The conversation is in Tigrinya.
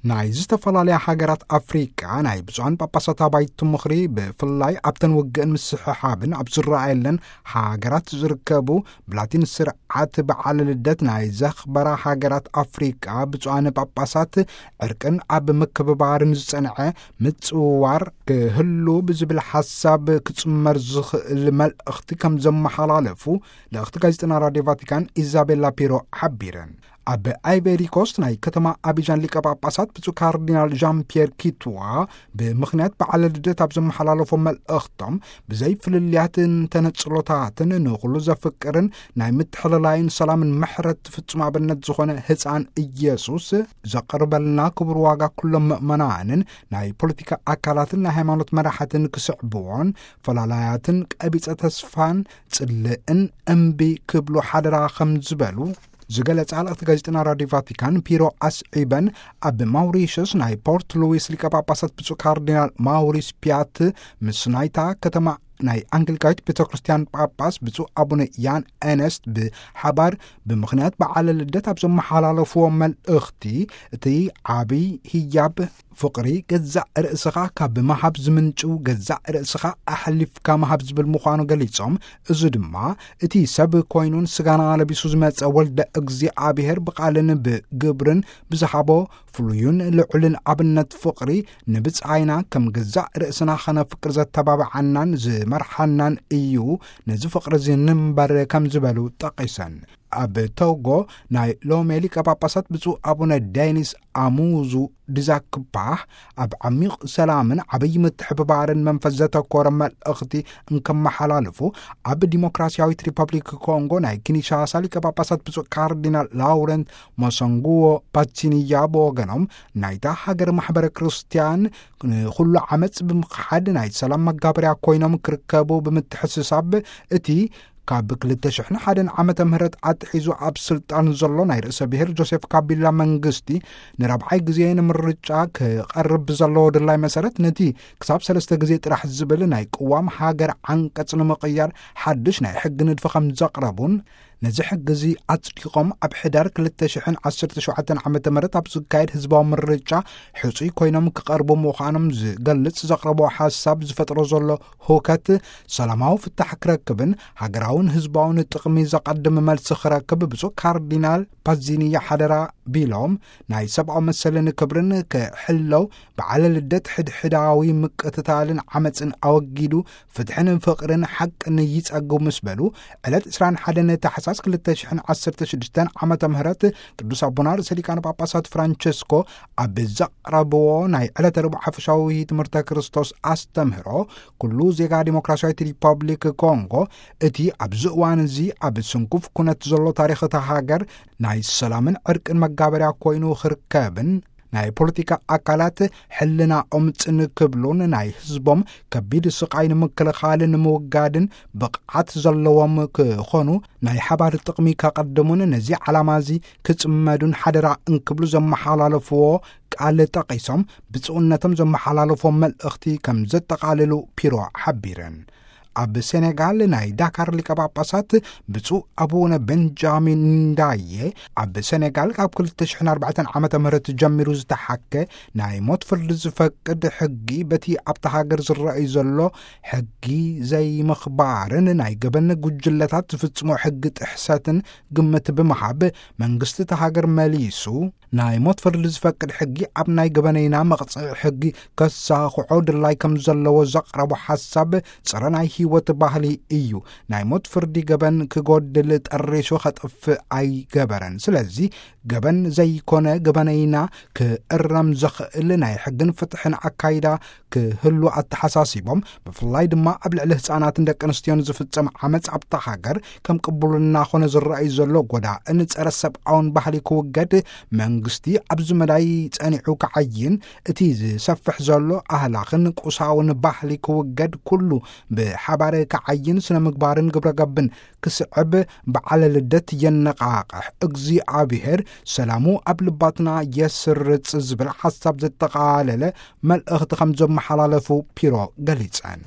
ናይ ዝተፈላለያ ሃገራት ኣፍሪቃ ናይ ብፁዓን ጳጳሳት ኣባይቲ ምኽሪ፣ ብፍላይ ኣብተን ውግእን ምስሕሓብን ኣብ ዝረኣየለን ሃገራት ዝርከቡ ብላቲን ስርዓት በዓለ ልደት ናይ ዘኽበራ ሃገራት ኣፍሪቃ፣ ብፁዓን ጳጳሳት ዕርቅን ኣብ ምክብባርን ዝጸንዐ ምጽውዋር ክህሉ ብዝብል ሓሳብ ክጽመር ዝኽእል መልእኽቲ ከም ዘመሓላለፉ ልእኽቲ ጋዜጠና ራድዮ ቫቲካን ኢዛቤላ ፒሮ ሓቢረን። ኣብ ኣይቨሪ ኮስት ናይ ከተማ ኣቢጃን ሊቀ ጳጳሳት ብፁዕ ካርዲናል ዣን ፒየር ኪትዋ ብምኽንያት በዓለ ልደት ኣብ ዘመሓላለፎ መልእኽቶም፣ ብዘይ ፍልልያትን ተነጽሎታትን ንኹሉ ዘፍቅርን ናይ ምትሕልላይን ሰላምን ምሕረት ፍጹም ኣብነት ዝኾነ ህፃን ኢየሱስ ዘቕርበልና ክቡር ዋጋ፣ ኩሎም ምእመናንን ናይ ፖለቲካ ኣካላትን ናይ ሃይማኖት መራሕትን ክስዕብዎን ፈላላያትን ቀቢጸ ተስፋን ጽልእን እምቢ ክብሉ ሓደራ ከም ዝበሉ ዝገለጻ ልእኽቲ ጋዜጠና ራድዮ ቫቲካን ፒሮ ኣስዒበን፣ ኣብ ማውሪሽስ ናይ ፖርት ሉዊስ ሊቀ ጳጳሳት ብፁዕ ካርዲናል ማውሪስ ፒያት ምስ ናይታ ከተማ ናይ ኣንግሊካዊት ቤተ ክርስቲያን ጳጳስ ብፁዕ ኣቡነ ያን ኤነስት ብሓባር ብምኽንያት በዓለ ልደት ኣብ ዘመሓላለፍዎ መልእኽቲ፣ እቲ ዓብይ ህያብ ፍቕሪ ገዛእ ርእስኻ ካብ ምሃብ ዝምንጭው፣ ገዛእ ርእስኻ ኣሕሊፍካ ምሃብ ዝብል ምዃኑ ገሊጾም፣ እዚ ድማ እቲ ሰብ ኮይኑን ስጋና ለቢሱ ዝመጸ ወልደ እግዚኣብሔር ብቓልን ብግብርን ብዝሃቦ ፍሉይን ልዑልን ኣብነት ፍቕሪ ንብጻይና ከም ገዛእ ርእስና ኸነፍቅር ዘተባብዓናን ዝመርሓናን እዩ። ነዚ ፍቕሪ እዚ ንንበር ከም ዝበሉ ጠቒሰን። ኣብ ቶጎ ናይ ሎሜ ሊቀ ጳጳሳት ብፁዕ ኣቡነ ዴኒስ ኣሙዙ ድዛክፓህ ኣብ ዓሚቕ ሰላምን ዓብዪ ምትሕብባርን መንፈስ ዘተኮረ መልእኽቲ እንከመሓላልፉ፣ ኣብ ዲሞክራሲያዊት ሪፐብሊክ ኮንጎ ናይ ኪንሻሳ ሊቀ ጳጳሳት ብፁዕ ካርዲናል ላውረንት ሞሰንጉዎ ፓቲኒያ ብወገኖም፣ ናይታ ሃገር ማሕበረ ክርስቲያን ንኹሉ ዓመፅ ብምኽሓድ ናይ ሰላም መጋበርያ ኮይኖም ክርከቡ ብምትሕስሳብ፣ እቲ ካብ ክልተ ሽሕን ሓደን ዓመተ ምህረት ኣትሒዙ ኣብ ስልጣን ዘሎ ናይ ርእሰ ብሔር ጆሴፍ ካቢላ መንግስቲ ንራብዓይ ግዜ ንምርጫ ክቐርብ ብዘለዎ ድላይ መሰረት፣ ነቲ ክሳብ ሰለስተ ግዜ ጥራሕ ዝብል ናይ ቅዋም ሃገር ዓንቀጽ ንምቕያር ሓድሽ ናይ ሕጊ ንድፊ ከም ዘቕረቡን፣ ነዚ ሕጊ እዚ ኣጽዲቖም ኣብ ሕዳር ክልተ ሽሕን ዓሰርተ ሸውዓተን ዓመተ ምህረት ኣብ ዝካየድ ህዝባዊ ምርጫ ሕጹይ ኮይኖም ክቐርቡ ምዃኖም ዝገልጽ ዘቕረቦ ሓሳብ ዝፈጥሮ ዘሎ ህውከት ሰላማዊ ፍታሕ ክረክብን ሃገራውን ህዝባውን ጥቕሚ ዘቐድም መልሲ ክረክብ ብፁዕ ካርዲናል ፓዚኒያ ሓደራ ቢሎም፣ ናይ ሰብኣዊ መሰልን ክብርን ክሕለው፣ በዓለ ልደት ሕድሕዳዊ ምቅትታልን ዓመፅን ኣወጊዱ ፍትሕን ፍቕርን ሓቅን ይጸግቡ ምስ በሉ፣ ዕለት ዕስራን ሓደን ታሕሳስ ክልተ ሽሕን ዓሰርተ ሽዱሽተን ዓመተ ምህረት ቅዱስ ኣቦና ርእሰ ሊቃነ ጳጳሳት ፍራንቸስኮ ኣብ ዘቕረብዎ ናይ ዕለተ ረቡዕ ሓፈሻዊ ትምህርተ ክርስቶስ ኣስተምህሮ፣ ኩሉ ዜጋ ዲሞክራሲያዊት ሪፐብሊክ ኮንጎ እቲ ኣብዚ እዋን እዚ ኣብ ስንኩፍ ኩነት ዘሎ ታሪኽ እታ ሃገር ናይ ሰላምን ዕርቅን መጋበርያ ኮይኑ ክርከብን፣ ናይ ፖለቲካ ኣካላት ሕልናኦም ጽን ክብሉን ናይ ህዝቦም ከቢድ ስቓይ ንምክልኻልን ንምውጋድን ብቕዓት ዘለዎም ክኾኑ፣ ናይ ሓባር ጥቕሚ ከቐድሙን ነዚ ዓላማ እዚ ክጽመዱን ሓደራ እንክብሉ ዘመሓላለፍዎ ቃል ጠቒሶም፣ ብፁዕነቶም ዘመሓላለፍዎ መልእኽቲ ከም ዘጠቓልሉ ፒሮ ሓቢረን። ኣብ ሴኔጋል ናይ ዳካር ሊቀ ጳጳሳት ብፁዕ ኣቡነ ቤንጃሚን ንዳየ፣ ኣብ ሴኔጋል ካብ ክልተ ሽሕን ኣርባዕተን ዓመተ ምህረት ጀሚሩ ዝተሓከ ናይ ሞት ፍርዲ ዝፈቅድ ሕጊ፣ በቲ ኣብታ ሃገር ዝረኣይ ዘሎ ሕጊ ዘይምኽባርን ናይ ገበን ጉጅለታት ዝፍጽሞ ሕጊ ጥሕሰትን ግምት ብምሃብ፣ መንግስቲ እታ ሃገር መሊሱ ናይ ሞት ፍርዲ ዝፈቅድ ሕጊ ኣብ ናይ ገበነይና መቕጽዒ ሕጊ ከሳኽዖ ድላይ ከም ዘለዎ ዘቕረቦ ሓሳብ ጸረ ናይ ህይወት ባህሊ እዩ። ናይ ሞት ፍርዲ ገበን ክጎድል፣ ጠሪሹ ከጥፍእ ኣይገበረን። ስለዚ ገበን ዘይኮነ ገበነይና ክእረም ዘኽእል ናይ ሕግን ፍትሕን ኣካይዳ ክህሉ ኣተሓሳሲቦም፣ ብፍላይ ድማ ኣብ ልዕሊ ህጻናትን ደቂ ኣንስትዮን ዝፍጸም ዓመጽ ኣብታ ሃገር ከም ቅቡልና ኮነ ዝረኣይ ዘሎ ጎዳእን ጸረ ሰብኣውን ባህሊ ክውገድ መንግስቲ ኣብዚ መዳይ ጸኒዑ ክዓይን፣ እቲ ዝሰፍሕ ዘሎ ኣህላኽን ቁሳውን ባህሊ ክውገድ፣ ኩሉ ብሓባር ክዓይን፣ ስነ ምግባርን ግብረ ገብን ክስዕብ በዓለ ልደት የነቓቕሕ። እግዚኣብሔር ሰላሙ ኣብ ልባትና የስርጽ ዝብል ሓሳብ ዘጠቓለለ መልእኽቲ ከም ዘመሓላለፉ ፒሮ ገሊጸን።